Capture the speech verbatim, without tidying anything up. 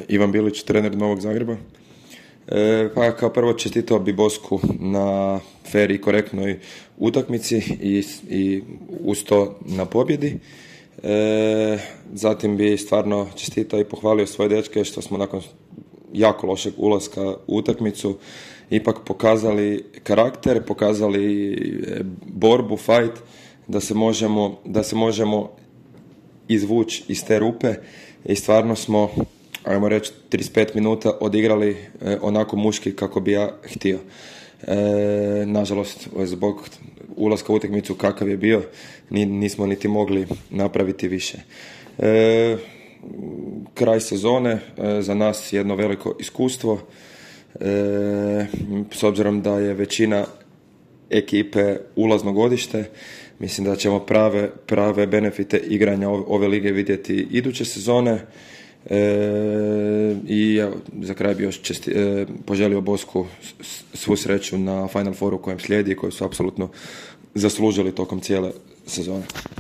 Ivan Bilić, trener Novog Zagreba. E, pa kao prvo čestitao bi Bosku na fer i korektnoj utakmici i, i uz to na pobjedi. E, zatim bi stvarno čestitao i pohvalio svoje dečke što smo nakon jako lošeg ulaska u utakmicu ipak pokazali karakter, pokazali borbu, fight, da se možemo, da se možemo izvući iz te rupe i stvarno smo, ajmo reći, trideset pet minuta odigrali e, onako muški kako bi ja htio. E, nažalost, zbog ulaska u utakmicu kakav je bio, nismo niti mogli napraviti više. E, kraj sezone, e, za nas jedno veliko iskustvo, e, s obzirom da je većina ekipe ulazno godište, mislim da ćemo prave, prave benefite igranja ove, ove lige vidjeti iduće sezone. E, i evo, za kraj bi još česti, e, poželio Bosku svu sreću na Final Fouru kojem slijedi i koji su apsolutno zaslužili tokom cijele sezone.